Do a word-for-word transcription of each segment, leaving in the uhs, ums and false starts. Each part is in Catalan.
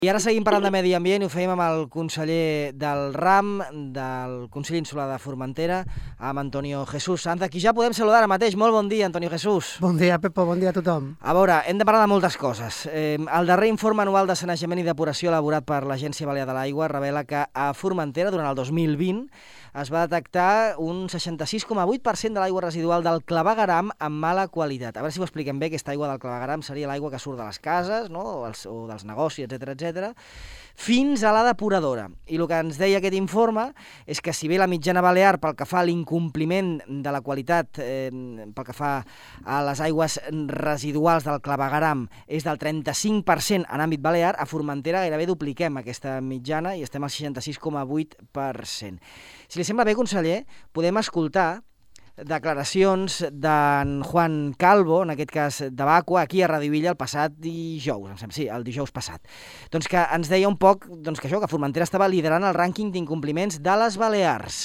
I ara seguim parlant de medi ambient i ho fèiem amb el conseller del RAM, del Consell Insular de Formentera, amb Antonio Jesús Sanz, qui ja podem saludar ara mateix. Molt bon dia, Antonio Jesús. Bon dia, Pepo, bon dia a tothom. A veure, hem de parlar de moltes coses. Eh, el darrer informe anual de sanejament i depuració elaborat per l'Agència Balear de l'Aigua revela que a Formentera, durant el dos mil vint, es va detectar un seixanta-sis coma vuit per cent de l'aigua residual del clavegueram amb mala qualitat. A veure si ho expliquem bé, aquesta aigua del clavegueram seria l'aigua que surt de les cases, no? o, els, o dels negocis, etcètera, etcètera, fins a la depuradora. I el que ens deia aquest informe és que si bé la mitjana balear pel que fa a l'incompliment de la qualitat, eh, pel que fa a les aigües residuals del clavegueram és del trenta-cinc per cent en àmbit balear, a Formentera gairebé dupliquem aquesta mitjana i estem al seixanta-sis coma vuit per cent. Si li sembla bé, conseller, podem escoltar declaracions d'en Juan Calvo, en aquest cas de Bacua, aquí a Radio Illa el passat dijous, em sembla, sí, el dijous passat. Doncs que ens deia un poc doncs que això, que Formentera estava liderant el rànquing d'incompliments de les Balears.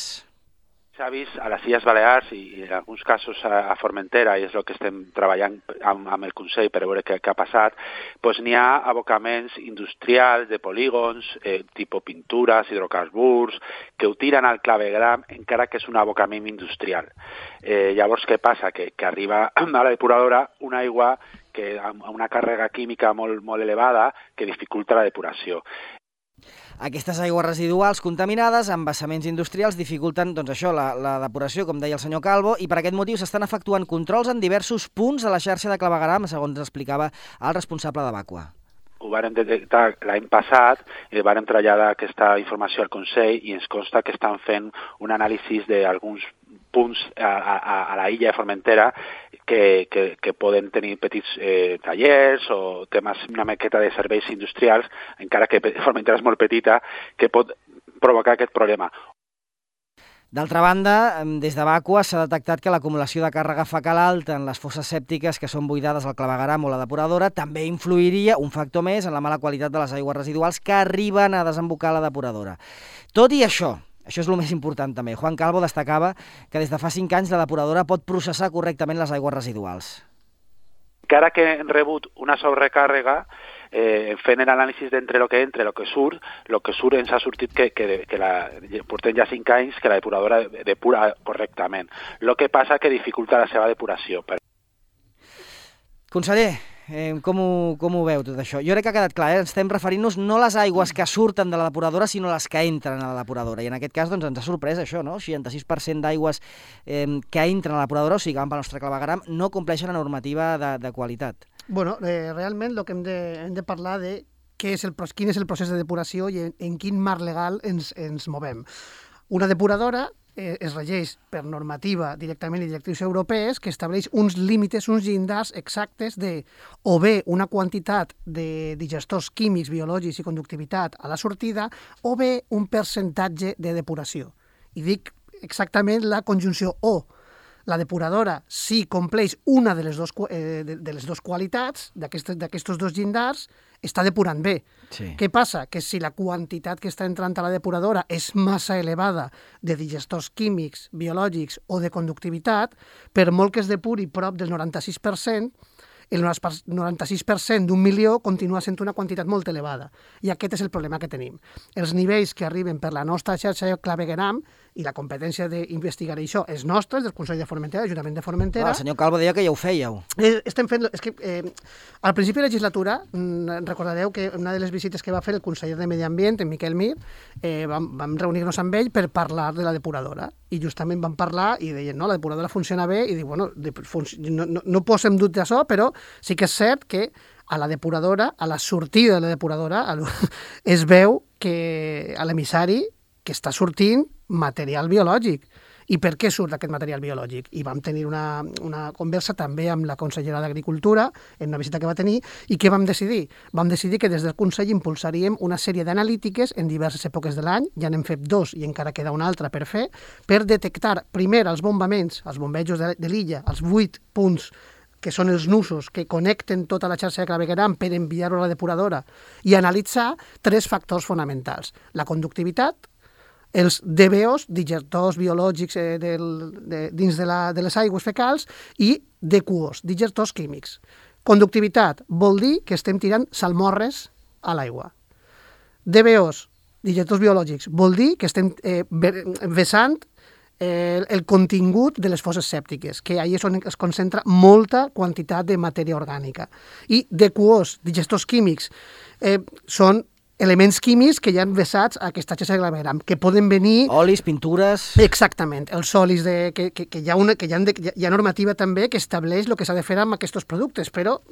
S'ha vist a les Illes Balears i, i en alguns casos a, a Formentera, i és el que estem treballant amb, amb el Consell per veure què, què ha passat, doncs n'hi ha abocaments industrials de polígons, eh, tipus pintures, hidrocarburs, que ho tiren al clavegueram encara que és un abocament industrial. Eh, llavors, què passa? Que, que arriba a la depuradora una aigua que, amb una càrrega química molt, molt elevada que dificulta la depuració. Aquestes aigües residuals contaminades amb vessaments industrials dificulten doncs això, la, la depuració, com deia el senyor Calvo, i per aquest motiu s'estan efectuant controls en diversos punts de la xarxa de clavegueram, segons explicava el responsable de Bacua. Ho vàrem detectar l'any passat i vàrem traslladar aquesta informació al Consell i ens consta que estan fent un anàlisi d'alguns punts a, a, a la illa de Formentera que, que, que poden tenir petits eh, tallers o temes, una maqueta de serveis industrials, encara que Formentera és molt petita, que pot provocar aquest problema. D'altra banda, des de Bacua s'ha detectat que l'acumulació de càrrega fecal alta en les fosses sèptiques que són buidades al clavegueram o la depuradora també influiria, un factor més, en la mala qualitat de les aigües residuals que arriben a desembocar a la depuradora. Tot i això, això és el més important també, Juan Calvo destacava que des de fa cinc anys la depuradora pot processar correctament les aigües residuals. Encara que hem rebut una sobrecàrrega, eh, fent l'anàlisi d'entre el que entra i el que surt, el que surt ens ha sortit que, que, que la, portem ja cinc anys que la depuradora depura correctament. El que passa que dificulta la seva depuració. Conseller, eh, com, ho, com ho veu tot això? Jo crec que ha quedat clar, eh? Estem referint-nos no a les aigües que surten de la depuradora, sinó les que entren a la depuradora. I en aquest cas doncs, ens ha sorprès això, no? seixanta-sis per cent d'aigües eh, que entren a la depuradora, o sigui que van pel nostre clavegueram, no compleixen la normativa de, de qualitat. Bueno, eh, realment el que hem de, hem de parlar de què és el, quin és el procés de depuració i en, en quin marc legal ens, ens movem. Una depuradora eh, es regeix per normativa directament i directrius europees que estableix uns límits, uns llindars exactes de o bé una quantitat de digestors químics, biològics i conductivitat a la sortida o bé un percentatge de depuració. I dic exactament la conjunció o. La depuradora, si compleix una de les, dos, eh, de, de les dues qualitats d'aquests dos llindars, està depurant bé. Sí. Què passa? Que si la quantitat que està entrant a la depuradora és massa elevada de digestors químics, biològics o de conductivitat, per molt que es depuri prop del noranta-sis per cent, el noranta-sis per cent d'un milió continua sent una quantitat molt elevada. I aquest és el problema que tenim. Els nivells que arriben per la nostra xarxa de clavegueram i la competència d'investigar això és nostra, és del Consell de Formentera, l'Ajuntament de Formentera. Ah, el senyor Calvo deia que ja ho fèieu. Eh, estem fent... És que, eh, al principi de la legislatura, mm, recordareu que una de les visites que va fer el conseller de Medi Ambient, en Miquel Mir, eh, vam, vam reunir-nos amb ell per parlar de la depuradora. I justament vam parlar i deien, no, la depuradora funciona bé, i dic, bueno, no, no, no posem dubte d'això, però sí que és cert que a la depuradora, a la sortida de la depuradora, es veu que a l'emissari que està sortint material biològic. I per què surt aquest material biològic? I vam tenir una, una conversa també amb la consellera d'Agricultura en una visita que va tenir, i què vam decidir? Vam decidir que des del Consell impulsaríem una sèrie d'analítiques en diverses èpoques de l'any, ja n'hem fet dos i encara queda una altra per fer, per detectar primer els bombaments, els bombejos de, de l'illa, els vuit punts que són els nusos que connecten tota la xarxa de clavegueram per enviar-ho a la depuradora, i analitzar tres factors fonamentals: la conductivitat, els D B Os, digestors biològics eh, del, de, dins de, la, de les aigües fecals, i D Q Os, digestors químics. Conductivitat vol dir que estem tirant salmorres a l'aigua. D B Os, digestors biològics, vol dir que estem eh, vessant eh, el contingut de les fosses sèptiques, que ahir és on es concentra molta quantitat de matèria orgànica. I D Q Os, digestors químics, eh, són elements químics que hi han vessats a aquesta xarxa de clavegueram, que poden venir... Olis, pintures... Exactament, els olis, de, que, que, que, hi ha una, que hi ha, de, hi ha normativa també que estableix el que s'ha de fer amb aquests productes, però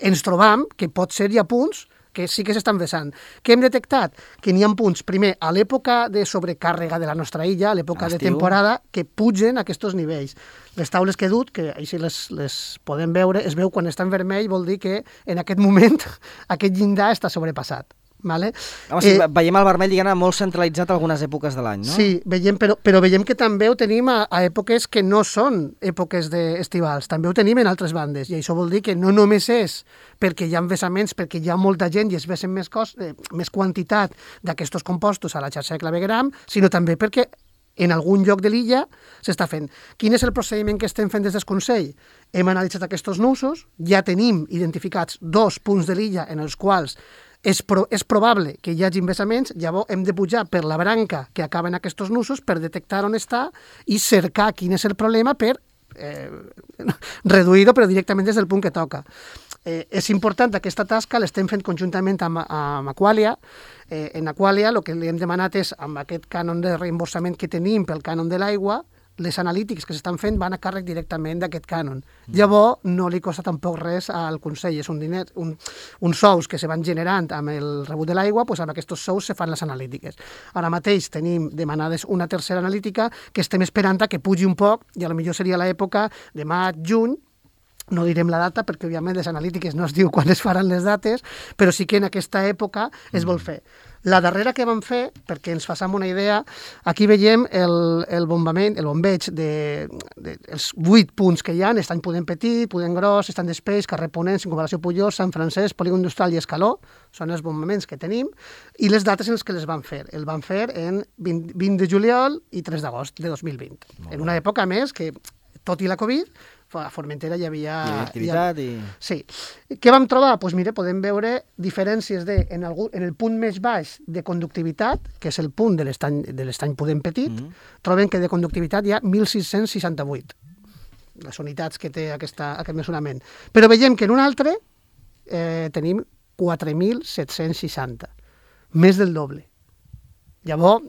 ens trobam que pot ser hi ha punts que sí que s'estan vessant. Què hem detectat? Que n'hi ha punts, primer, a l'època de sobrecàrrega de la nostra illa, a l'època de temporada, que pugen aquests nivells. Les taules que he dut, que així les, les podem veure, es veu quan està en vermell, vol dir que en aquest moment aquest llindar està sobrepassat. Vale? Home, sí, eh, veiem el vermell, diguem-ne, molt centralitzat algunes èpoques de l'any, no? Sí, veiem, però, però veiem que també ho tenim a, a èpoques que no són èpoques estivals, també ho tenim en altres bandes, i això vol dir que no només és perquè hi ha vessaments, perquè hi ha molta gent i es vessen més, cos, eh, més quantitat d'aquests compostos a la xarxa de clavegueram, sinó també perquè en algun lloc de l'illa s'està fent. Quin és el procediment que estem fent des del Consell? Hem analitzat aquests nusos, ja tenim identificats dos punts de l'illa en els quals és, pro, és probable que hi hagi vessaments, llavors hem de pujar per la branca que acaba en aquests nusos per detectar on està i cercar quin és el problema per eh, reduir-ho, però directament des del punt que toca. Eh, és important aquesta tasca, l'estem fent conjuntament amb, amb Aqualia. Eh, en Aqualia el que li hem demanat és, amb aquest cànon de reemborsament que tenim pel cànon de l'aigua, les analítics que s'estan fent van a càrrec directament d'aquest cànon. Mm. Llavors, no li costa tampoc res al Consell. És un diner, un, uns sous que se van generant amb el rebut de l'aigua, doncs amb aquests sous se fan les analítiques. Ara mateix tenim demanades una tercera analítica que estem esperant a que pugi un poc, i a lo millor seria l'època de maig, juny. No direm la data perquè, òbviament, les analítiques no es diu quan es faran les dates, però sí que en aquesta època es vol fer. La darrera que vam fer, perquè ens façam una idea, aquí veiem el, el bombament, el bombeig de, de els vuit punts que hi ha, Estany Pudent Petit, Pudent Gros, Estany d'Espeix, Carrer Ponent, Circunvalació Pujol, Sant Francesc, Polígon Industrial i Escaló, són els bombaments que tenim, i les dates en les que les van fer. El van fer en vint, vint de juliol i tres d'agost de dos mil vint. En una època més que, tot i la Covid, a Formentera hi havia... Hi havia activitat i... Sí. Què vam trobar? Doncs mira, podem veure diferències de, en, algú, en el punt més baix de conductivitat, que és el punt de l'estany de l'Estany Pudent Petit, mm -hmm. trobem que de conductivitat hi ha mil sis-cents seixanta-vuit, les unitats que té aquesta, aquest mesurament. Però veiem que en un altre eh, tenim quatre mil set-cents seixanta, més del doble. Llavors,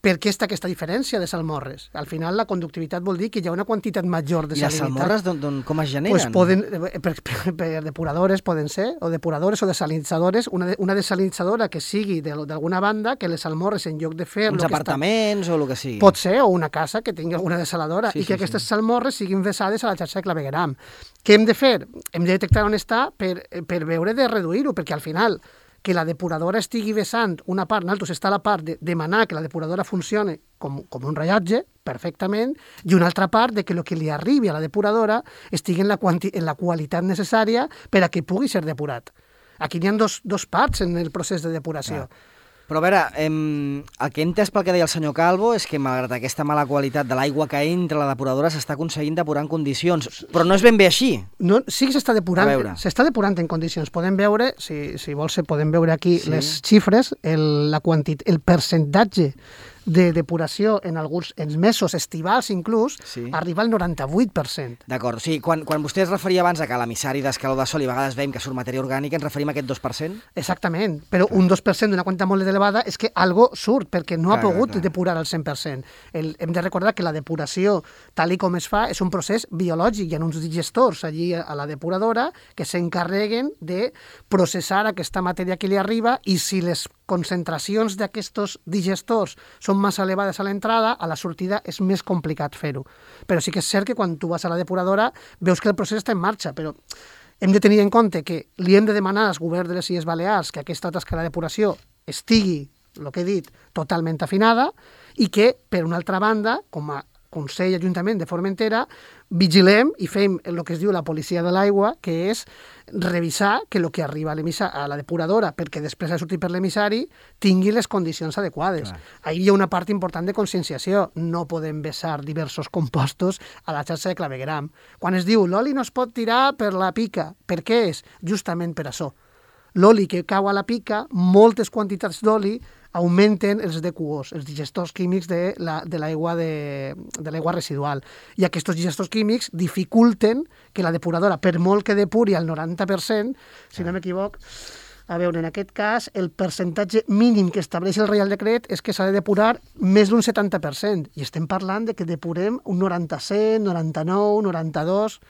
per què està aquesta diferència de salmorres? Al final, la conductivitat vol dir que hi ha una quantitat major de salinitat. I les salmorres don, don, com es generen? Pues poden, per, per, per depuradores poden ser, o depuradores o desalinitzadores, una, de, una desalinitzadora que sigui d'alguna banda, que les salmorres, en lloc de fer... Uns apartaments està, o el que sigui. Pot ser, o una casa que tingui alguna desaladora, sí, i que sí, aquestes sí. salmorres siguin vessades a la xarxa de clavegueram. Què hem de fer? Hem de detectar on està per, per veure de reduir-ho, perquè al final... que la depuradora estigui vessant una part, nosaltres està la part de demanar que la depuradora funcioni com, com un rellotge, perfectament, i una altra part de que el que li arribi a la depuradora estigui en la, quanti, en la qualitat necessària per a que pugui ser depurat. Aquí hi ha dos, dos parts en el procés de depuració. Clar. Però a veure, em, el que he entès pel que deia el senyor Calvo és que malgrat aquesta mala qualitat de l'aigua que entra a la depuradora s'està aconseguint depurar en condicions, però no és ben bé així. No, sí que s'està depurant, s'està depurant en condicions. Podem veure, si, si vols, podem veure aquí sí. les xifres, el, la quantit, el percentatge de depuració en alguns en mesos estivals inclús, sí. arriba al noranta-vuit per cent. D'acord, o sigui, quan, quan vostè es referia abans a que a l'emissari d'escaló de sol i a vegades veiem que surt matèria orgànica, ens referim a aquest dos per cent? Exactament, però clar. un dos per cent d'una quantitat molt elevada és que algo surt, perquè no clar, ha pogut clar. depurar al cent per cent. El, hem de recordar que la depuració, tal i com es fa, és un procés biològic. Hi ha uns digestors allí a la depuradora que s'encarreguen de processar aquesta matèria que li arriba, i si les concentracions d'aquests digestors són massa elevades a l'entrada, a la sortida és més complicat fer-ho. Però sí que és cert que quan tu vas a la depuradora veus que el procés està en marxa, però hem de tenir en compte que li hem de demanar als governs de les Illes Balears que aquesta tasca de depuració estigui, el que he dit, totalment afinada, i que, per una altra banda, com a Consell Ajuntament de Formentera, vigilem i fem el que es diu la policia de l'aigua, que és revisar que el que arriba a, a la depuradora, perquè després de sortir per l'emissari, tingui les condicions adequades. Clar. Ahir hi ha una part important de conscienciació. No podem vessar diversos compostos a la xarxa de clavegueram. Quan es diu l'oli no es pot tirar per la pica, per què és? Justament per això. l'oli que cau a la pica, moltes quantitats d'oli augmenten els D Q Os, els digestors químics de la, de l'aigua de, de l'aigua residual. I aquests digestors químics dificulten que la depuradora, per molt que depuri al noranta per cent, si no m'equivoc, a veure, en aquest cas, el percentatge mínim que estableix el Reial Decret és que s'ha de depurar més d'un setanta per cent. I estem parlant de que depurem un noranta-set, noranta-nou, noranta-dos...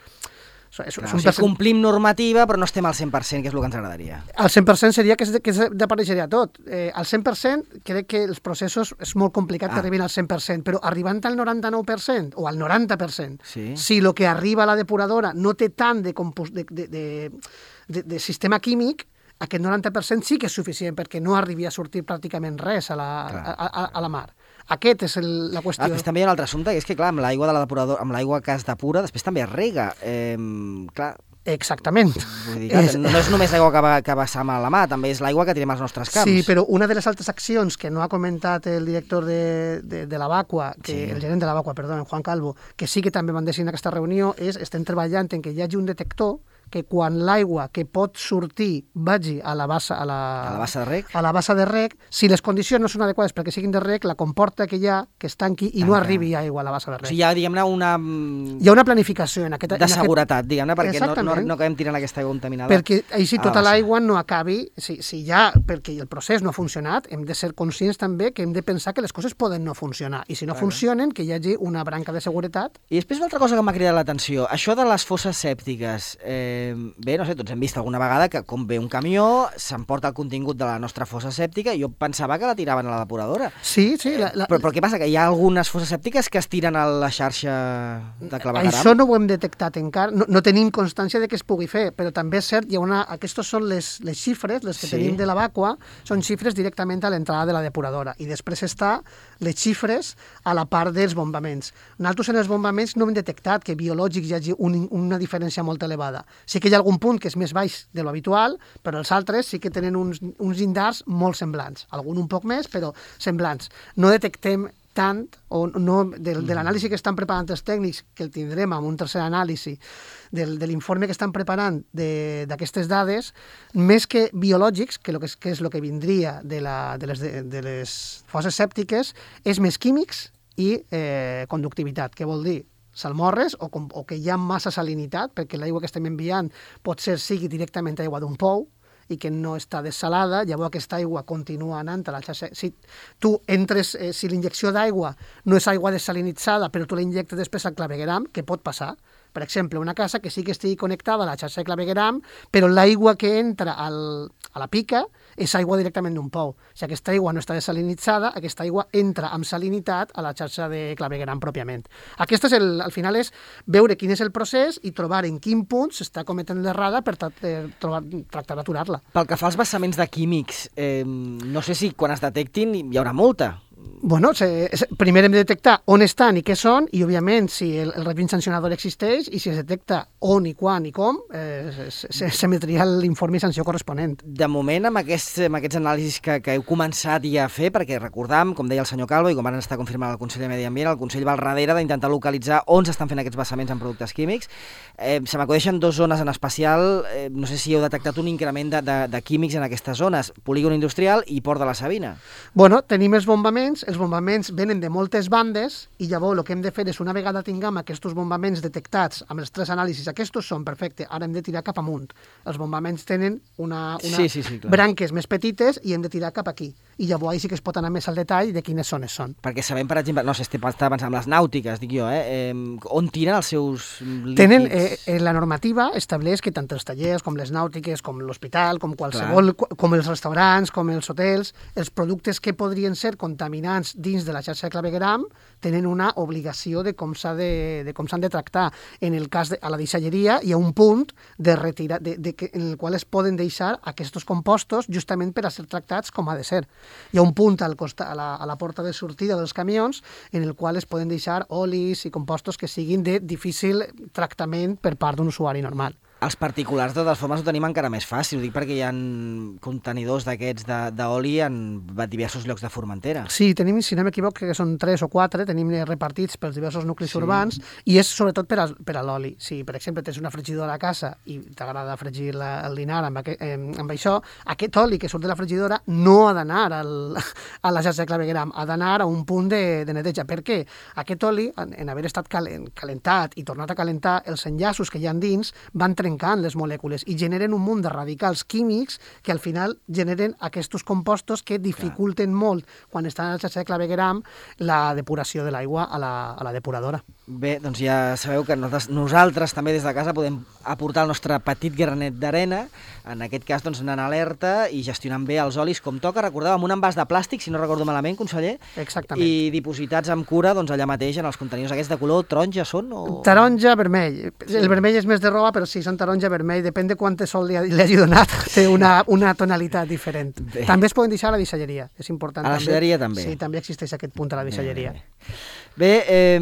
És, Clar, és un o sigui, percent... complim normativa, però no estem al cent per cent, que és el que ens agradaria. Al cent per cent seria que, és, que desapareixeria tot. Eh, al cent per cent crec que els processos és molt complicat ah. que arribin al cent per cent, però arribant al noranta-nou per cent o al noranta per cent, sí. si el que arriba a la depuradora no té tant de, compos... de, de, de, de, de sistema químic, aquest noranta per cent sí que és suficient perquè no arribi a sortir pràcticament res a la, a, a, a la mar. Aquest és el, la qüestió. Ah, també hi ha un altre assumpte, que és que, clar, amb l'aigua de la depuradora, amb l'aigua que es depura, després també es rega. Eh, clar... Exactament. Vull dir, clar, és... No és només l'aigua que, va, que vessam a la mà, també és l'aigua que tirem als nostres camps. Sí, però una de les altres accions que no ha comentat el director de, de, de la Vacua, que, sí. el gerent de la Vacua, perdó, en Juan Calvo, que sí que també van decidir en aquesta reunió, és estem treballant en que hi hagi un detector que quan l'aigua que pot sortir vagi a la bassa, a la, a la bassa de rec, a la bassa de rec, si les condicions no són adequades perquè siguin de rec, la comporta que hi ha que es tanqui i Tanca. no arribi aigua a la bassa de rec. O sigui, hi ha, diguem-ne, una... Hi ha una planificació en aquest... De en seguretat, aquest... diguem-ne, perquè no, no, no acabem tirant aquesta aigua contaminada. Perquè així tota l'aigua no acabi... Si, si ja, perquè el procés no ha funcionat, hem de ser conscients també que hem de pensar que les coses poden no funcionar. I si no Clar. funcionen, que hi hagi una branca de seguretat. I després una altra cosa que m'ha cridat l'atenció, això de les fosses sèptiques. Eh, bé, no sé, tots hem vist alguna vegada que com ve un camió, s'emporta el contingut de la nostra fossa sèptica i jo pensava que la tiraven a la depuradora. Sí, sí. La, la... Però, però què passa? Que hi ha algunes fosses sèptiques que es tiren a la xarxa de clavegueram? Això no ho hem detectat encara, no, no tenim constància de que es pugui fer, però també és cert, hi ha una... Aquestes són les, les xifres, les que sí. tenim de la Vacua, són xifres directament a l'entrada de la depuradora i després està les xifres a la part dels bombaments. Nosaltres en els bombaments no hem detectat que biològics hi hagi un, una diferència molt elevada. Sí que hi ha algun punt que és més baix de lo habitual, però els altres sí que tenen uns, uns llindars molt semblants. Algun un poc més, però semblants. No detectem tant, o no, de, de l'anàlisi que estan preparant els tècnics, que el tindrem amb un tercer anàlisi, del, de l'informe que estan preparant d'aquestes dades, més que biològics, que, lo que, és, que és el que vindria de, la, de, les, de, de les fosses sèptiques, és més químics i eh, conductivitat. Què vol dir? Salmorres o, com, o que hi ha massa salinitat, perquè l'aigua que estem enviant pot ser sigui directament aigua d'un pou i que no està dessalada, llavors aquesta aigua continua anant a la xarxa. Si tu entres, eh, si l'injecció d'aigua no és aigua desalinitzada, però tu la injectes després al clavegueram, què pot passar? Per exemple, una casa que sí que estigui connectada a la xarxa de clavegueram, però l'aigua que entra al, a la pica és aigua directament d'un pou. Si aquesta aigua no està desalinitzada, aquesta aigua entra amb salinitat a la xarxa de clavegueram pròpiament. Aquest és el, al final és veure quin és el procés i trobar en quin punt s'està cometent l'errada per tra trobar, tractar d'aturar-la. Pel que fa als vessaments de químics, eh, no sé si quan es detectin hi haurà multa. Bueno, se, se, primer hem de detectar on estan i què són, i òbviament si el, el règim sancionador existeix i si es detecta on i quan i com, eh, s'emetria l'informe i sanció corresponent. De moment, amb aquests, amb aquests anàlisis que, que heu començat ja a fer, perquè recordam, com deia el senyor Calvo, i com van estar confirmant el Consell de Medi Ambient, el Consell va al darrere d'intentar localitzar on s'estan fent aquests vessaments en productes químics. Eh, se m'acudeixen dues zones en especial, eh, no sé si heu detectat un increment de, de, de químics en aquestes zones, polígon industrial i Port de la Sabina. Bueno, tenim els bombaments, els bombaments venen de moltes bandes i llavors el que hem de fer és, una vegada tinguem aquests bombaments detectats amb els tres anàlisis, aquests són perfecte, ara hem de tirar cap amunt. Els bombaments tenen una, una sí, sí, sí, branques més petites i hem de tirar cap aquí. I llavors ahí sí que es pot anar més al detall de quines zones són. Perquè sabem, per exemple, no sé, estava pensant en les nàutiques, dic jo, eh, eh on tiren els seus líquids? Tenen, eh, la normativa estableix que tant els tallers com les nàutiques, com l'hospital, com qualsevol, Clar. com els restaurants, com els hotels, els productes que podrien ser contaminants dins de la xarxa de clavegueram tenen una obligació de com s'ha de, de com s'han de tractar. En el cas de a la deixalleria hi ha un punt de retirar, de, de que, en el qual es poden deixar aquests compostos justament per a ser tractats com ha de ser. Hi ha un punt al costat, a, la, a la porta de sortida dels camions en el qual es poden deixar olis i compostos que siguin de difícil tractament per part d'un usuari normal. Els particulars, de totes formes, ho tenim encara més fàcil. Ho dic perquè hi ha contenidors d'aquests d'oli en diversos llocs de Formentera. Sí, tenim, si no m'equivoc, que són tres o quatre, tenim repartits pels diversos nuclis sí. urbans, i és sobretot per, a, per a l'oli. Si, per exemple, tens una fregidora a casa i t'agrada fregir la, el dinar amb, aquest, eh, amb això, aquest oli que surt de la fregidora no ha d'anar a la xarxa de clavegueram, ha d'anar a un punt de, de neteja. Per què? Aquest oli, en, en haver estat calent, calentat i tornat a calentar, els enllaços que hi ha dins van trencant les molècules i generen un munt de radicals químics que al final generen aquests compostos que dificulten Clar. molt quan estan a la xarxa de clavegueram la depuració de l'aigua a, la, a la depuradora. Bé, doncs ja sabeu que nosaltres, nosaltres també des de casa podem aportar el nostre petit granet d'arena, en aquest cas doncs anant alerta i gestionant bé els olis com toca, recordeu, amb un envàs de plàstic, si no recordo malament, conseller, Exactament. I dipositats amb cura doncs allà mateix en els contenidors aquests de color taronja són? O... Taronja, vermell. Sí. El vermell és més de roba, però sí, són taronja, vermell, depèn de quant de sol li, li hagi donat, té una, una tonalitat diferent. Bé. També es poden deixar a la deixalleria, és important. A la deixalleria també? Sí, també existeix aquest punt a la deixalleria. Bé, bé. Bé, eh,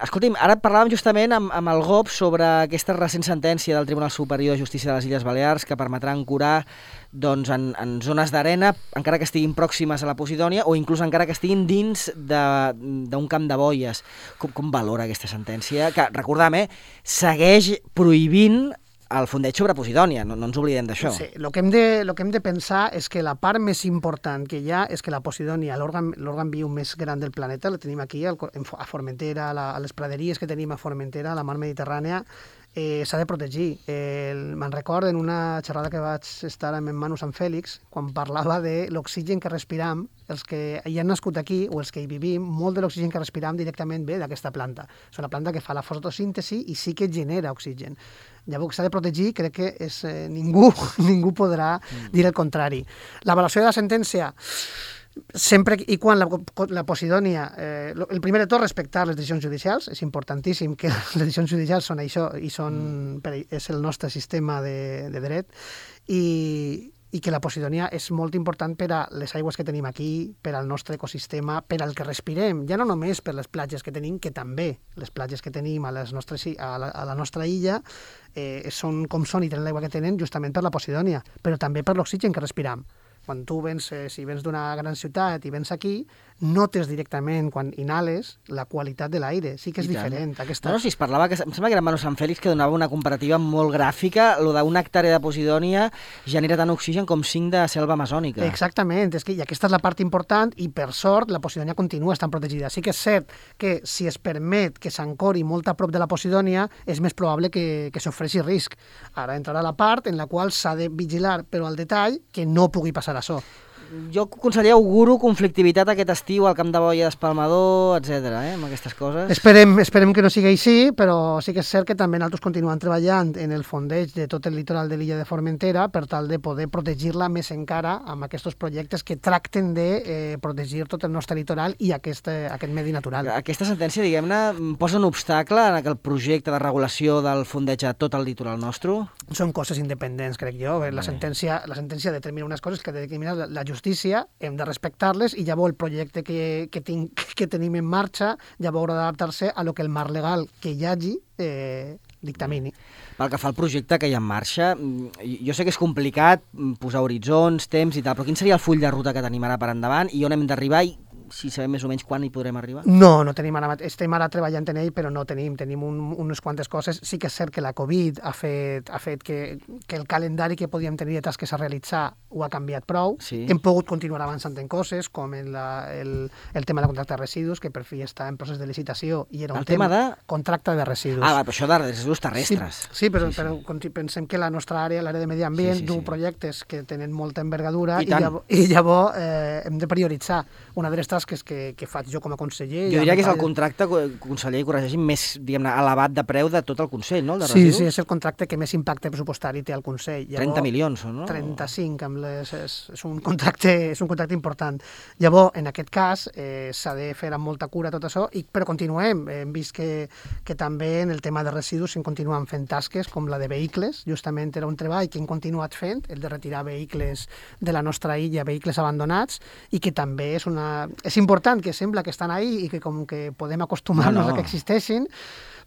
escolti'm, ara parlàvem justament amb, amb el G O P sobre aquesta recent sentència del Tribunal Superior de Justícia de les Illes Balears que permetrà ancorar doncs, en, en zones d'arena, encara que estiguin pròximes a la Posidònia o inclús encara que estiguin dins d'un camp de boies. Com, com valora aquesta sentència? Que, recordem, eh, segueix prohibint el fondeig sobre Posidònia, no, no ens oblidem d'això. Sí, el que, hem de, lo que hem de pensar és que la part més important que hi ha és que la Posidònia, l'òrgan viu més gran del planeta, la tenim aquí a Formentera, a, la, a les praderies que tenim a Formentera, a la mar Mediterrània, eh, s'ha de protegir. Eh, me'n recordo en una xerrada que vaig estar amb en Manu Sant Fèlix, quan parlava de l'oxigen que respiram, els que hi han nascut aquí o els que hi vivim, molt de l'oxigen que respiram directament ve d'aquesta planta. És una planta que fa la fotosíntesi i sí que genera oxigen. Llavors, s'ha de protegir, crec que és, eh, ningú, ningú podrà dir el contrari. L'avaluació de la sentència, sempre i quan la, la Posidònia, eh, el primer de tot, respectar les decisions judicials, és importantíssim que les decisions judicials són això i són, mm. és el nostre sistema de, de dret, i, i que la Posidònia és molt important per a les aigües que tenim aquí, per al nostre ecosistema, per al que respirem, ja no només per les platges que tenim, que també les platges que tenim a, les nostres, a, la, a la nostra illa eh, són com són i tenen l'aigua que tenen justament per la Posidònia, però també per l'oxigen que respiram. Quan tu vens, eh, si vens d'una gran ciutat i vens aquí, notes directament, quan inhales, la qualitat de l'aire. Sí que és diferent. Aquesta... No, no, si es parlava, que em sembla que era Manu Sant Fèlix que donava una comparativa molt gràfica, lo d'una hectàrea de Posidònia genera tant oxigen com cinc de selva amazònica. Exactament, és que, i aquesta és la part important, i per sort la Posidònia continua estant protegida. Sí que és cert que si es permet que s'ancori molt a prop de la Posidònia, és més probable que, que s'ofreixi risc. Ara entrarà la part en la qual s'ha de vigilar, però al detall, que no pugui passar això. Jo, conseller, auguro conflictivitat aquest estiu al Camp de Boia d'Espalmador, etcètera, eh, amb aquestes coses. Esperem, esperem que no sigui així, però sí que és cert que també nosaltres continuem treballant en el fondeig de tot el litoral de l'illa de Formentera per tal de poder protegir-la més encara amb aquests projectes que tracten de eh, protegir tot el nostre litoral i aquest, eh, aquest medi natural. Aquesta sentència, diguem-ne, posa un obstacle en aquell projecte de regulació del fondeig a tot el litoral nostre? Són coses independents, crec jo. La sentència, la sentència determina unes coses que determina la, la justícia, hem de respectar-les i llavors el projecte que, que, tinc, que tenim en marxa llavors haurà d'adaptar-se a lo que el marc legal que hi hagi eh, dictamini. Pel que fa al projecte que hi ha en marxa, jo sé que és complicat posar horitzons, temps i tal, però quin seria el full de ruta que tenim ara per endavant i on hem d'arribar i si sabem més o menys quan hi podrem arribar? No, no tenim ara, estem ara treballant en ell, però no tenim, tenim un, unes quantes coses. Sí que és cert que la Covid ha fet, ha fet que, que el calendari que podíem tenir de tasques a realitzar ho ha canviat prou. Sí. Hem pogut continuar avançant en coses, com en la, el, el tema de contracte de residus, que per fi està en procés de licitació, i era un el tema, tema de... contracte de residus. Ah, però això de residus terrestres. Sí, sí però, sí, sí. però pensem que la nostra àrea, l'àrea de medi ambient, sí, sí, du sí. projectes que tenen molta envergadura i, i, llavors, i llavors eh, hem de prioritzar. Una de les tasques que, que fa jo com a conseller... Jo diria que és el contracte, conseller, corregeixi, més, diguem-ne, elevat de preu de tot el Consell, no? El de sí, residus. sí, és el contracte que més impacte pressupostari té al Consell. Llavors, trenta milions, no? trenta-cinc, amb les, és, és, un contracte, és un contracte important. Llavors, en aquest cas, eh, s'ha de fer amb molta cura tot això, i, però continuem. Hem vist que, que també en el tema de residus s'en continuen fent tasques, com la de vehicles. Justament era un treball que hem continuat fent, el de retirar vehicles de la nostra illa, vehicles abandonats, i que també és, una, és important, que sembla que estan ahí i que com que podem acostumar-nos no, no. a que existeixin,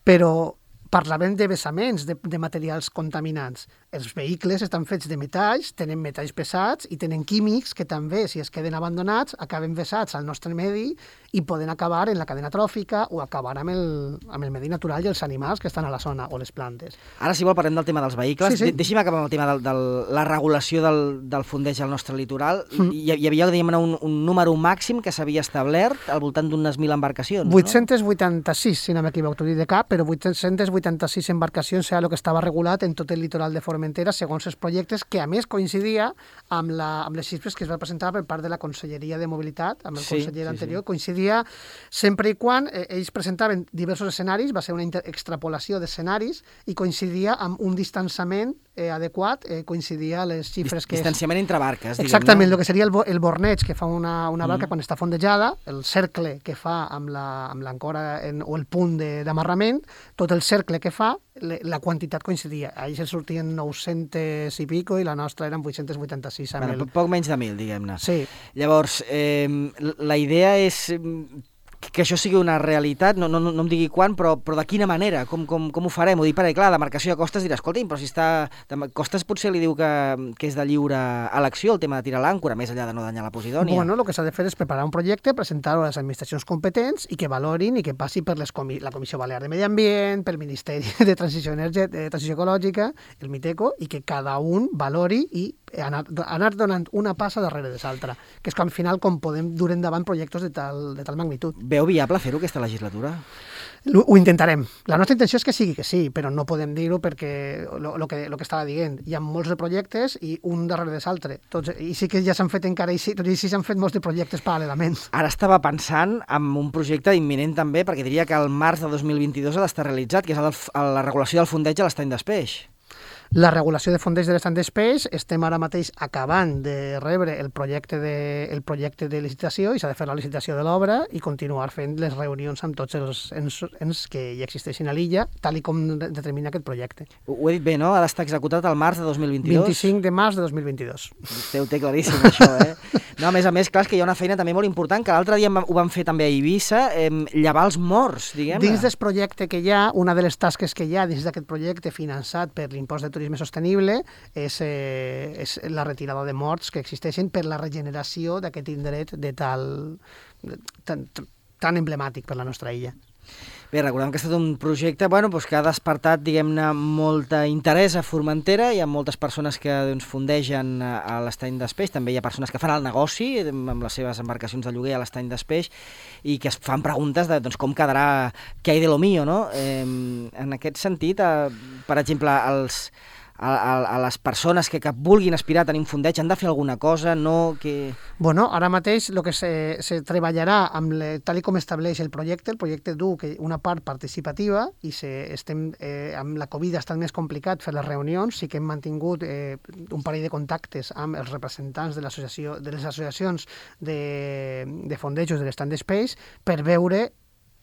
però Parlàvem de vessaments de, de materials contaminants. Els vehicles estan fets de metalls, tenen metalls pesats i tenen químics que també, si es queden abandonats, acaben vessats al nostre medi i poden acabar en la cadena tròfica o acabar amb el, amb el medi natural i els animals que estan a la zona o les plantes. Ara, si vol, parlem del tema dels vehicles. Sí, sí. De Deixi'm acabar amb el tema de, de la regulació del, del fondeig al nostre litoral. Mm. Hi, hi havia, diguem-ne, un, un número màxim que s'havia establert al voltant d'unes mil embarcacions, vuit-cents vuitanta-sis, si no m'equivoco, t'ho dic de cap, però vuit-cents vuitanta-sis embarcacions era el que estava regulat en tot el litoral de Formentera segons els projectes, que a més coincidia amb, la, amb les xifres que es va presentar per part de la Conselleria de Mobilitat, amb el sí, conseller sí, anterior, sí. Coincidia sempre i quan eh, ells presentaven diversos escenaris, va ser una extrapolació d'escenaris i coincidia amb un distanciament eh, adequat, eh, coincidia a les xifres que... Distanciament entre barques, diguem-ne. Exactament, el que seria el, bo, el borneig que fa una, una barca mm. quan està fondejada, el cercle que fa amb l'ancora o el punt d'amarrament, tot el cercle que fa, le, la quantitat coincidia. Ahir se sortien nou-cents i pico i la nostra eren vuit-cents vuitanta-sis. Bueno, el... Poc menys de mil, diguem-ne. Sí. Llavors, eh, la idea és que això sigui una realitat, no, no, no em digui quan, però, però de quina manera, com, com, com ho farem? Ho dic perquè, clar, la demarcació de costes dirà, escolta, però si està... Costes potser li diu que, que és de lliure elecció el tema de tirar l'àncora, més enllà de no danyar la Posidònia. Bueno, el que s'ha de fer és preparar un projecte, presentar-ho a les administracions competents i que valorin i que passi per les comi la Comissió Balear de Medi Ambient, pel Ministeri de Transició, Energètica, de Transició Ecològica, el MITECO, i que cada un valori i anar, anar donant una passa darrere de l'altra, que és com, al final com podem dur endavant projectes de tal, de tal magnitud. Veu viable fer-ho aquesta legislatura? Ho, ho intentarem. La nostra intenció és que sigui que sí, però no podem dir-ho perquè el que, lo que estava dient, hi ha molts de projectes i un darrere de l'altre. I sí que ja s'han fet encara, i sí, tot i sí s'han fet molts de projectes paral·lelament. Ara estava pensant en un projecte imminent també, perquè diria que al març de dos mil vint-i-dos ha d'estar realitzat, que és el, el, la regulació del fondeig a l'estany d'Espeix. La regulació de fondeig de l'estany d'Espeix, estem ara mateix acabant de rebre el projecte de, el projecte de licitació i s'ha de fer la licitació de l'obra i continuar fent les reunions amb tots els ens, ens que hi existeixin a l'illa, tal i com determina aquest projecte. Ho, ho he dit bé, no? Ha d'estar executat al març de dos mil vint-i-dos? vint-i-cinc de març de dos mil vint-i-dos. Vostè ho té claríssim, això, eh? No, a més a més, clar, és que hi ha una feina també molt important, que l'altre dia ho vam fer també a Eivissa, eh, llevar els morts, diguem-ne. Dins del projecte que hi ha, una de les tasques que hi ha dins d'aquest projecte finançat per l'impost de turisme sostenible és, eh, és la retirada de morts que existeixen per la regeneració d'aquest indret de tal, tan, tan emblemàtic per la nostra illa. Bé, recordem que ha estat un projecte bueno, doncs que ha despertat, diguem-ne, molta interès a Formentera. Hi ha moltes persones que doncs, fondegen a l'estany d'Espeix. També hi ha persones que fan el negoci amb les seves embarcacions de lloguer a l'estany d'Espeix i que es fan preguntes de doncs, com quedarà, què hay de lo mío, no? Eh, en aquest sentit, eh, per exemple, els... A, a, a les persones que, que vulguin aspirar a tenir un fondeig han de fer alguna cosa, no que... Bueno, ara mateix el que se, se treballarà amb le, tal com estableix el projecte, el projecte du que una part participativa i se, estem, eh, amb la Covid ha estat més complicat fer les reunions, sí que hem mantingut eh, un parell de contactes amb els representants de, l'associació, de les associacions de, de fondejos de l'estany d'Espeix per veure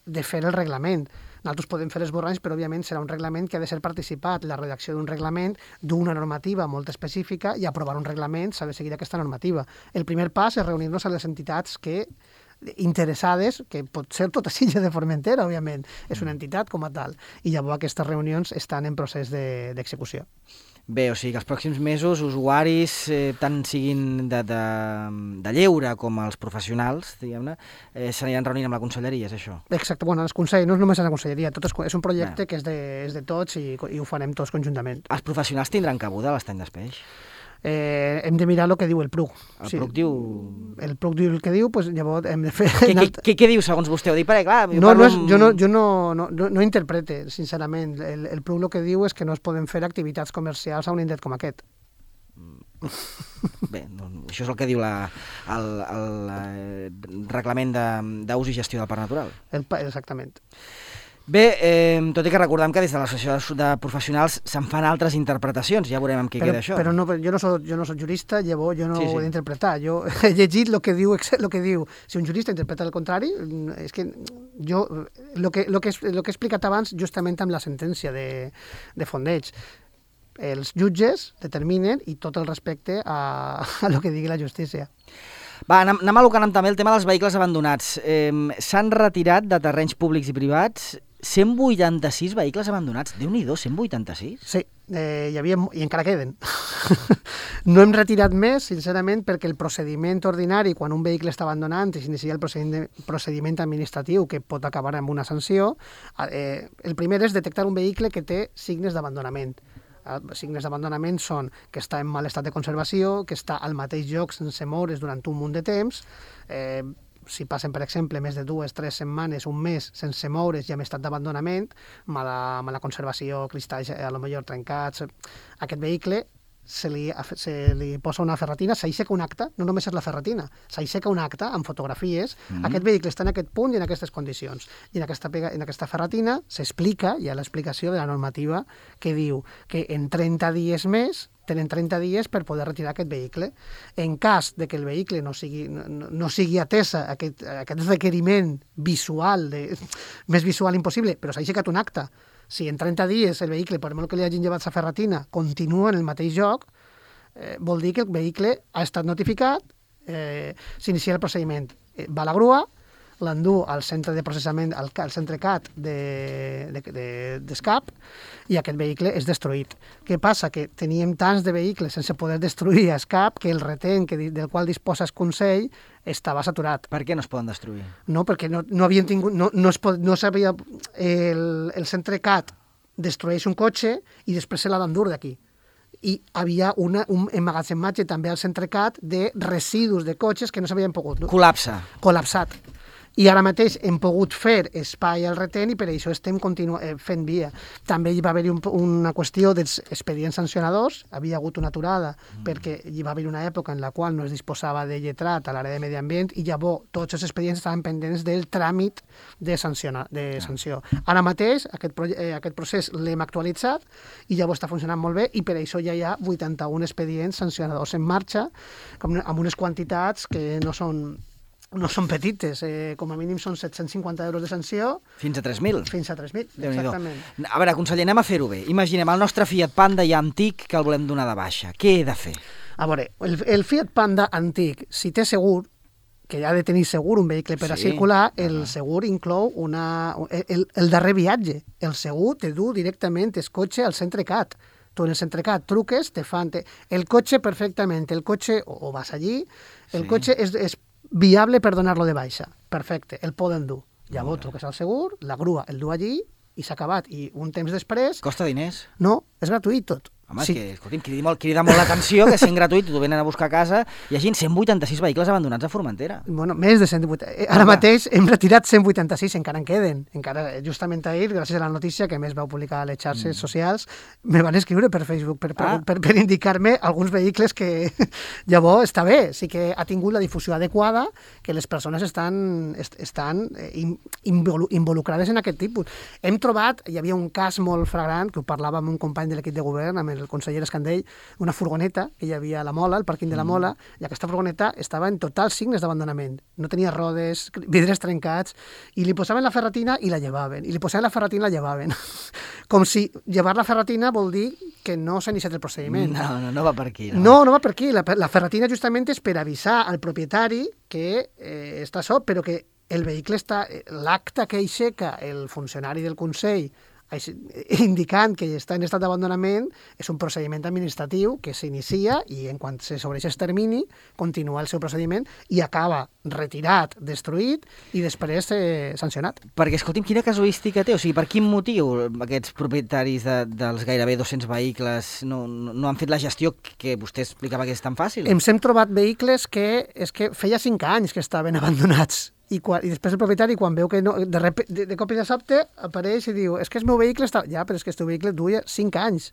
de fer el reglament. Nosaltres podem fer esborranys, però òbviament serà un reglament que ha de ser participat, la redacció d'un reglament, d'una normativa molt específica i aprovar un reglament s'ha de seguir aquesta normativa. El primer pas és reunir-nos a les entitats que interessades, que pot ser tota l'illa de Formentera, òbviament, és una entitat com a tal, i llavors aquestes reunions estan en procés d'execució. De, Bé, o sigui que els pròxims mesos usuaris, eh, tant siguin de, de, de lleure com els professionals, diguem-ne, eh, s'aniran reunint amb la conselleria, és això? Exacte, bueno, els consells, no és només a la conselleria, tot és, és un projecte Bé. que és de, és de tots i, i ho farem tots conjuntament. Els professionals tindran cabuda a l'estany d'Espeix? Eh, hem de mirar el que diu el P R U. El sí. P R U diu... El P R U diu el que diu, doncs llavors hem de fer... Què, què, què, què diu segons vostè? Ho dic perquè, clar... No, no és, jo no, jo no, no, no, no interprete, sincerament. El, el P R U el que diu és que no es poden fer activitats comercials a un indret com aquest. Bé, no, això és el que diu la, el, el, el reglament d'ús i gestió del parc natural. El, exactament. Bé, eh, tot i que recordem que des de l'associació de professionals se'n fan altres interpretacions, ja veurem amb què però, queda això. Però no, jo, no soc, jo no soc jurista, llavors jo no sí, sí. ho he d'interpretar. Jo he llegit el que, diu, el que diu. Si un jurista interpreta el contrari, és que jo, el que, lo que, lo que he explicat abans justament amb la sentència de, de Fondeig, els jutges determinen i tot el respecte a, a lo que digui la justícia. Va, anem, anem a lo que anem també el tema dels vehicles abandonats. Eh, S'han retirat de terrenys públics i privats cent vuitanta-sis vehicles abandonats. Déu-n'hi-do, cent vuitanta-sis? Sí, eh, hi havia, i encara queden. No hem retirat més, sincerament, perquè el procediment ordinari, quan un vehicle està abandonant i s'inicia el procediment, procediment administratiu que pot acabar amb una sanció, eh, el primer és detectar un vehicle que té signes d'abandonament. Els signes d'abandonament són que està en mal estat de conservació, que està al mateix lloc sense moure's durant un munt de temps, eh, si passen, per exemple, més de dues, tres setmanes, un mes sense moure's i amb estat d'abandonament, mala, mala conservació, cristalls a lo millor trencats, aquest vehicle se li, se li posa una ferretina, s'aixeca un acte, no només és la ferretina, s'aixeca un acte amb fotografies, mm. aquest vehicle està en aquest punt i en aquestes condicions. I en aquesta, pega, en aquesta ferretina s'explica, hi ha l'explicació de la normativa que diu que en trenta dies més tenen trenta dies per poder retirar aquest vehicle. En cas de que el vehicle no sigui, no, no sigui atesa aquest, aquest requeriment visual, de, més visual impossible, però s'ha aixecat un acte, si en trenta dies el vehicle, per molt que li hagin llevat la ferretina, continua en el mateix lloc, eh, vol dir que el vehicle ha estat notificat, eh, s'inicia el procediment. Eh, va a la grua, l'endú al centre de processament, al, al centre C A T d'Escap, de, de, de, i aquest vehicle és destruït. Què passa? Que teníem tants de vehicles sense poder destruir a Escap que el retén que, del qual disposa el Consell estava saturat. Per què no es poden destruir? No, perquè no, no havien tingut... No, no, es pot, no sabia... El, el centre C A T destrueix un cotxe i després se l'ha d'endur d'aquí. I havia una, un emmagatzematge també al centre C A T de residus de cotxes que no s'havien pogut... Col·lapsa. Col·lapsat. I ara mateix hem pogut fer espai al retén i per això estem continu eh, fent via. També hi va haver un, una qüestió dels expedients sancionadors, havia hagut una aturada mm. perquè hi va haver una època en la qual no es disposava de lletrat a l'àrea de medi ambient i llavors tots els expedients estaven pendents del tràmit de, sanciona, de ah. sanció. Ara mateix aquest, eh, aquest procés l'hem actualitzat i llavors està funcionant molt bé i per això ja hi ha vuitanta-un expedients sancionadors en marxa com, amb unes quantitats que no són no són petites, eh, com a mínim són set-cents cinquanta euros de sanció. Fins a tres mil? Fins a tres mil, exactament. A veure, conseller, anem a fer-ho bé. Imaginem el nostre Fiat Panda ja antic que el volem donar de baixa. Què he de fer? A veure, el, el Fiat Panda antic, si té segur, que ha de tenir segur un vehicle per sí. a circular, el uh -huh. segur inclou una, el, el darrer viatge. El segur te du directament el cotxe al centre C A T. Tu en el centre C A T truques, te fan... Te... El cotxe perfectament, el cotxe, o, o vas allí, el sí. cotxe és, és viable per donar-lo de baixa. Perfecte, el poden dur. Llavors truques al segur, la grua el du allí i s'ha acabat. I un temps després... Costa diners? No, és gratuït tot. Home, sí. és que, escolti'm, crida molt, crida molt l'atenció que sent gratuït t'ho venen a buscar a casa i hi hagi cent vuitanta-sis vehicles abandonats a Formentera. Bueno, més de cent vuitanta. Ara mateix hem retirat cent vuitanta-sis, encara en queden. Encara, justament ahir, gràcies a la notícia que més vau publicar a les xarxes mm. socials, me van escriure per Facebook per, per, ah. per, per indicar-me alguns vehicles que llavors està bé, sí que ha tingut la difusió adequada, que les persones estan, est, estan involucrades en aquest tipus. Hem trobat, hi havia un cas molt flagrant, que ho parlava amb un company de l'equip de govern, amb el conseller Escandell, una furgoneta que hi havia a la Mola, al pàrquing de la Mola, i aquesta furgoneta estava en totals signes d'abandonament. No tenia rodes, vidres trencats, i li posaven la ferretina i la llevaven, i li posaven la ferretina i la llevaven. Com si llevar la ferretina vol dir que no s'ha iniciat el procediment. No, no, no va per aquí. No, no, no va per aquí. La, la ferretina justament és per avisar al propietari que eh, està sol, però que el vehicle està... L'acte que aixeca el funcionari del Consell indicant que està en estat d'abandonament és un procediment administratiu que s'inicia i en quan se sobreix el termini continua el seu procediment i acaba retirat, destruït i després eh, sancionat. Perquè, escolti'm, quina casuística té? O sigui, per quin motiu aquests propietaris de, dels gairebé dos-cents vehicles no, no, no han fet la gestió que vostè explicava que és tan fàcil? Ens hem trobat vehicles que, és que feia cinc anys que estaven abandonats. I, quan, i després el propietari, quan veu que no, de, rep, de, de cop i de sobte, apareix i diu, és que el meu vehicle està... Ja, però és que el teu vehicle duia cinc anys.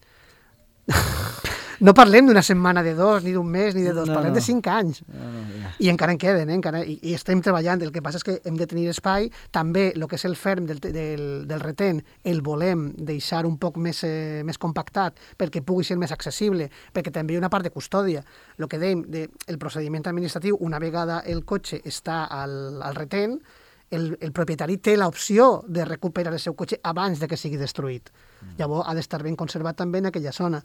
No parlem d'una setmana de dos, ni d'un mes, ni de dos, no, parlem no. de cinc anys. No, no, ja. I encara en queden, eh? encara, i, i estem treballant. El que passa és que hem de tenir espai. També el que és el ferm del, del, del retén el volem deixar un poc més, eh, més compactat perquè pugui ser més accessible, perquè també hi ha una part de custòdia. El que dèiem, de, el procediment administratiu, una vegada el cotxe està al, al retén, el, el propietari té l'opció de recuperar el seu cotxe abans de que sigui destruït. Mm. Llavors ha d'estar ben conservat també en aquella zona.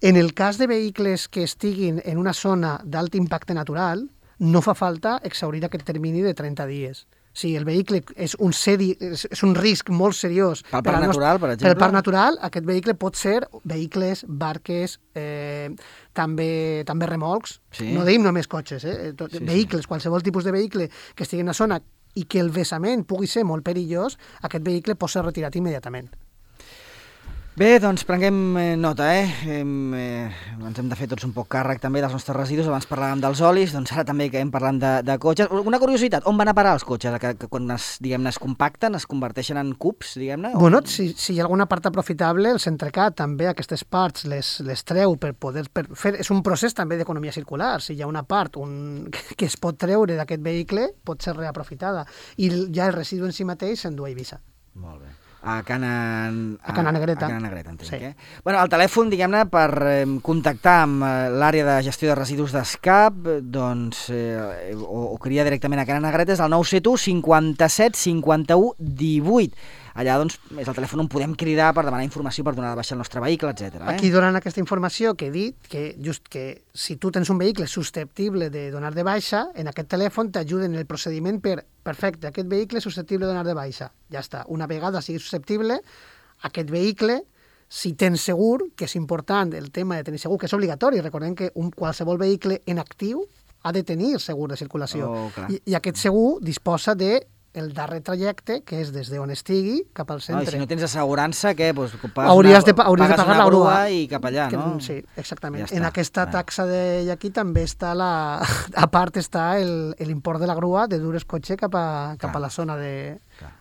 En el cas de vehicles que estiguin en una zona d'alt impacte natural, no fa falta exhaurir aquest termini de trenta dies. Si el vehicle és un, seri, és, és un risc molt seriós pel parc natural, per exemple, pel parc natural, aquest vehicle pot ser vehicles, barques, eh, també també remolcs, sí. No dèiem només cotxes, eh? Tot, sí, vehicles, sí. Qualsevol tipus de vehicle que estigui en la zona i que el vessament pugui ser molt perillós, aquest vehicle pot ser retirat immediatament. Bé, doncs prenguem nota, eh? Hem, eh? Ens hem de fer tots un poc càrrec també dels nostres residus. Abans parlàvem dels olis, doncs ara també que hem parlat de, de cotxes. Una curiositat, on van a parar els cotxes? Que, que quan es, diguem-ne, es compacten, es converteixen en cubs, diguem-ne? Bueno, si, si hi ha alguna part aprofitable, el Centrecat també aquestes parts les, les treu per poder per fer... És un procés també d'economia circular. Si hi ha una part un, que es pot treure d'aquest vehicle, pot ser reaprofitada. I ja el residu en si mateix s'endú a Eivissa. Molt bé. A Cana... A Cana Negreta. A Cana Negreta, entenc, sí. eh? Bueno, el telèfon, diguem-ne, per eh, contactar amb eh, l'àrea de gestió de residus d'Escap, doncs, eh, o, o cria directament a Cana Negreta, és el nou set u cinquanta-set cinquanta-u divuit. Allà, doncs, és el telèfon on podem cridar per demanar informació, per donar de baixa el nostre vehicle, etcètera. Eh? Aquí donen aquesta informació que he dit, que just que si tu tens un vehicle susceptible de donar de baixa, en aquest telèfon t'ajuden en el procediment per, perfecte, aquest vehicle és susceptible de donar de baixa. Ja està. Una vegada sigui susceptible, aquest vehicle, si tens segur, que és important el tema de tenir segur, que és obligatori, recordem que un qualsevol vehicle en actiu ha de tenir segur de circulació. Oh, I, I aquest segur disposa de el darrer trajecte, que és des d'on estigui cap al centre. Ah, si no tens assegurança, què? Pues, hauries, una, de, hauries de pagar la grua. I cap allà, que, no? Sí, exactament. Ja en aquesta taxa de aquí també està la... A part està l'import de la grua de dur el cotxe cap a, cap a la zona de,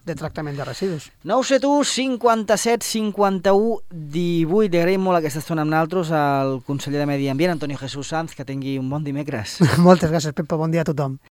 de tractament de residus. nou set u cinquanta-set cinquanta-u divuit. Li agraïm molt aquesta estona amb nosaltres al conseller de Medi Ambient, Antonio Jesús Sanz, que tingui un bon dimecres. Moltes gràcies, Pepa. Bon dia a tothom.